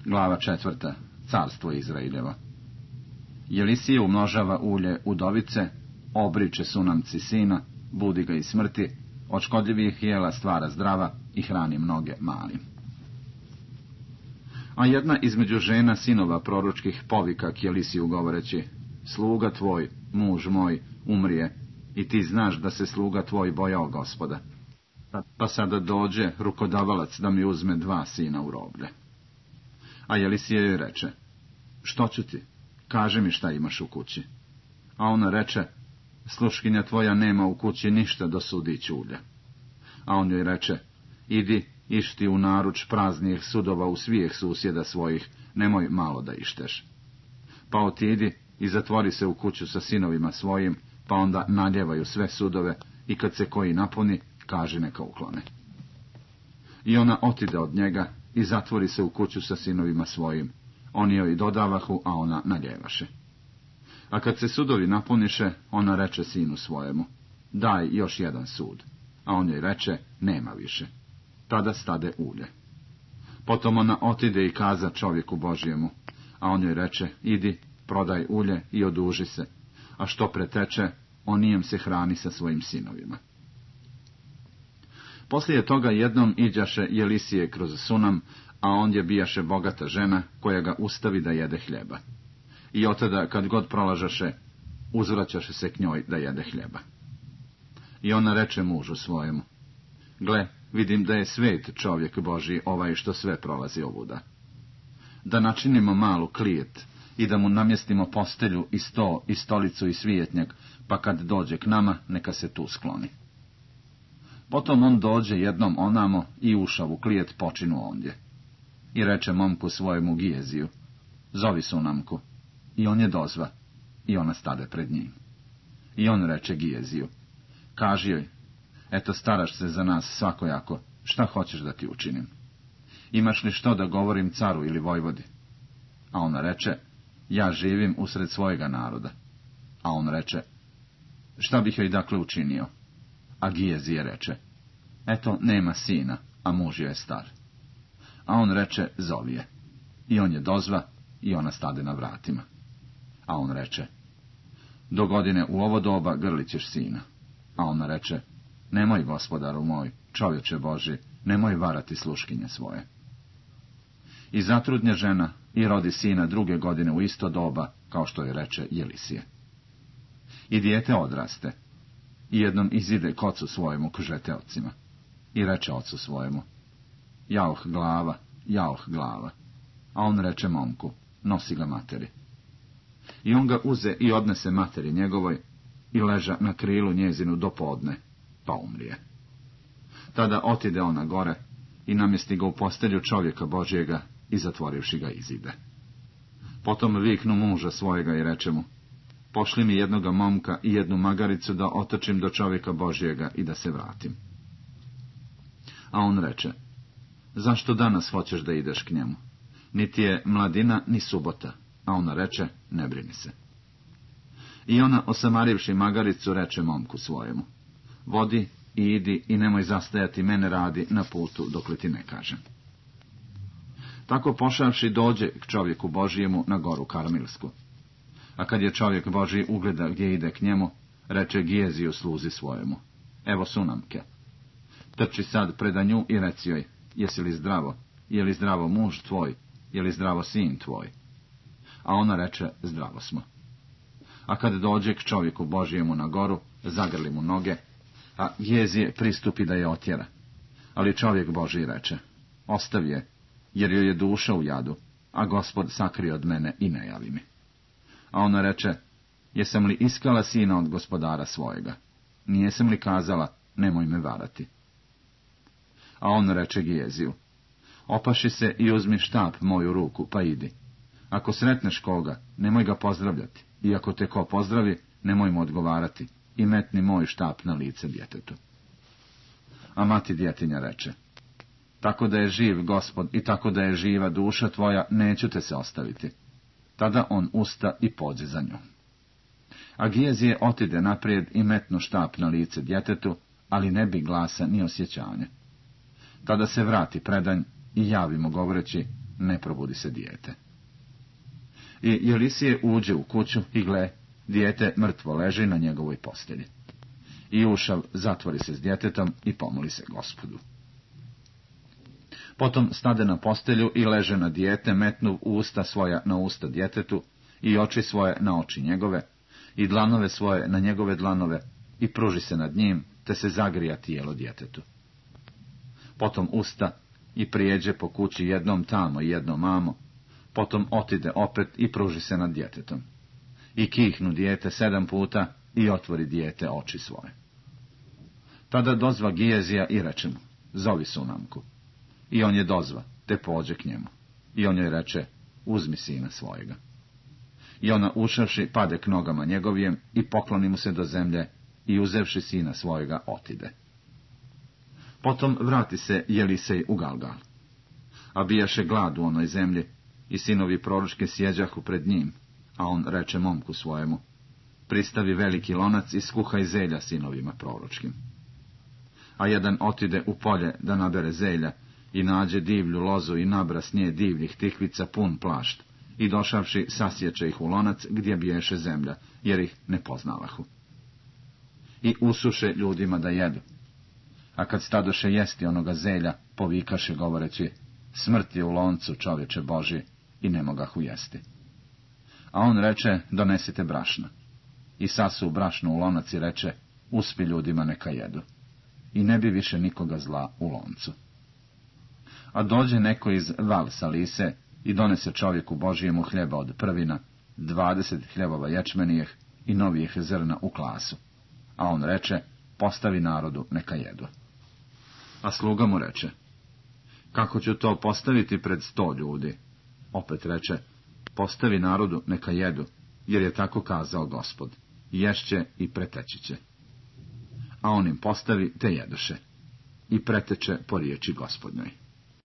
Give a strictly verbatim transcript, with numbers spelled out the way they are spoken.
Glava četvrta. Carstvo Izraeljeva. Jelisije umnožava ulje udovice, obriče Sunamci sina, budi ga iz smrti, od škodljivih jela stvara zdrava i hrani mnoge malim. A jedna između žena sinova proročkih povika k Jelisiju govoreći: sluga tvoj, muž moj, umrije, i ti znaš da se sluga tvoj bojao Gospoda. Pa sada dođe rukodavalac da mi uzme dva sina u roblje. A Jelisije joj reče: što ću ti? Kaži mi šta imaš u kući. A ona reče: sluškinja tvoja nema u kući ništa do sudi ćulja. A on joj reče: idi, išti u naruč praznijih sudova u svijeh susjeda svojih, nemoj malo da išteš. Pa otidi i zatvori se u kuću sa sinovima svojim, pa onda naljevaju sve sudove, i kad se koji napuni, kaži neka uklone. I ona otide od njega i zatvori se u kuću sa sinovima svojim. Oni joj dodavahu, a ona naljevaše. A kad se sudovi napuniše, ona reče sinu svojemu: daj još jedan sud. A on joj reče: nema više. Tada stade ulje. Potom ona otide i kaza čovjeku Božijemu, a on joj reče: idi, prodaj ulje i oduži se, a što preteče, onijem se hrani sa svojim sinovima. Poslije toga jednom iđaše Jelisije kroz Sunam, a ondje bijaše bogata žena, koja ga ustavi da jede hljeba. I otada, kad god prolažaše, uzvraćaše se k njoj da jede hljeba. I ona reče mužu svojemu: gle, vidim da je svet čovjek Božji ovaj što sve prolazi ovuda. Da načinimo malu klijet i da mu namjestimo postelju i sto i stolicu i svijetnjak, pa kad dođe k nama, neka se tu skloni. Potom on dođe jednom onamo i ušav u klijet počinu ondje. I reče momku svojemu Gijeziju: zovi Sunamku. I on je dozva, i ona stade pred njim. I on reče Gijeziju: kaži joj, eto staraš se za nas svakojako, šta hoćeš da ti učinim? Imaš li što da govorim caru ili vojvodi? A ona reče: ja živim usred svojega naroda. A on reče: šta bih joj dakle učinio? A Gijezije reče: eto nema sina, a muž je star. A on reče: zovi je. I on je dozva, i ona stade na vratima. A on reče: do godine u ovo doba grlit ćeš sina. A ona reče: nemoj, gospodaru moj, čovječe Boži, nemoj varati sluškinje svoje. I zatrudnje žena i rodi sina druge godine u isto doba, kao što je reče Jelisije. I dijete odraste, i jednom izide k ocu svojemu k žeteocima, i reče ocu svojemu: jauh glava, jauh glava. A on reče momku: nosi ga materi. I on ga uze i odnese materi njegovoj, i leža na krilu njezinu do podne, pa umrije. Tada otide ona gore i namjesti ga u postelju čovjeka Božjega i zatvorivši ga izide. Potom viknu muža svojega i reče mu: pošli mi jednoga momka i jednu magaricu da otočim do čovjeka Božjega i da se vratim. A on reče: zašto danas hoćeš da ideš k njemu? Niti je mladina, ni subota. A ona reče: ne brini se. I ona, osamarivši magaricu, reče momku svojemu: vodi i idi i nemoj zastajati mene radi na putu dok li ti ne kažem. Tako pošavši dođe k čovjeku Božijemu na goru Karmilsku. A kad je čovjek Božji ugleda gdje ide k njemu, reče Gijeziju sluzi svojemu: evo Sunamke. Trči sad preda nju i reci joj: jesi li zdravo? Je li zdravo muž tvoj? Je li zdravo sin tvoj? A ona reče: zdravo smo. A kad dođe k čovjeku Božijemu na goru, zagrli mu noge, a Gijezije pristupi da je otjera. Ali čovjek Božji reče: ostavi je, jer joj je duša u jadu, a Gospod sakri od mene i ne javi mi. A ona reče: jesam li iskala sina od gospodara svojega? Nijesam li kazala: nemoj me varati? A on reče Gijeziju: opaši se i uzmi štap moju ruku, pa idi. Ako sretneš koga, nemoj ga pozdravljati, i ako te ko pozdravi, nemoj mu odgovarati, i metni moj štap na lice djetetu. A mati djetinja reče: tako da je živ Gospod i tako da je živa duša tvoja, neću te se ostaviti. Tada on usta i pođe za njom. A Gijezije otide naprijed i metnu štap na lice djetetu, ali ne bi glasa ni osjećanja. Tada se vrati predanj i javi mu govoreći: ne probudi se dijete. I Jelisije uđe u kuću i gle, dijete mrtvo leži na njegovoj postelji. I ušav zatvori se s djetetom i pomoli se Gospodu. Potom stade na postelju i leže na dijete, metnuv usta svoja na usta djetetu i oči svoje na oči njegove i dlanove svoje na njegove dlanove i pruži se nad njim, te se zagrija tijelo djetetu. Potom usta i prijeđe po kući jednom tamo i jednom amo, potom otide opet i pruži se nad djetetom. I kihnu dijete sedam puta i otvori dijete oči svoje. Tada dozva Gijezija i reče mu, zovi Sunamku. I on je dozva, te pođe k njemu. I on joj reče, uzmi sina svojega. I ona ušavši pade k nogama njegovijem i pokloni mu se do zemlje i uzevši sina svojega otide. Potom vrati se Jelisej u Galgal. A bijaše glad u onoj zemlji i sinovi proročke sjeđahu pred njim, a on reče momku svojemu, pristavi veliki lonac i skuhaj zelja sinovima proročkim. A jedan otide u polje da nabere zelja i nađe divlju lozu i nabra s nje divljih tikvica pun plašt i došavši sasječe ih u lonac gdje biješe zemlja, jer ih ne poznavahu. I usuše ljudima da jedu. A kad stadoše jesti onoga zelja, povikaše govoreći, smrt je u loncu, čovječe Božji, i ne mogahu jesti. A on reče, donesite brašna. I sasu brašnu u lonac i reče, uspi ljudima neka jedu. I ne bi više nikoga zla u loncu. A dođe neko iz Val-Salise i donese čovjeku Božijemu hljeba od prvina, dvadeset hljebova ječmenijeh i novijih zrna u klasu. A on reče, postavi narodu neka jedu. A sluga mu reče, kako ću to postaviti pred sto ljudi? Opet reče, postavi narodu neka jedu, jer je tako kazao Gospod, ješće i preteći će. A on im postavi te jedoše i preteče po riječi Gospodnjoj.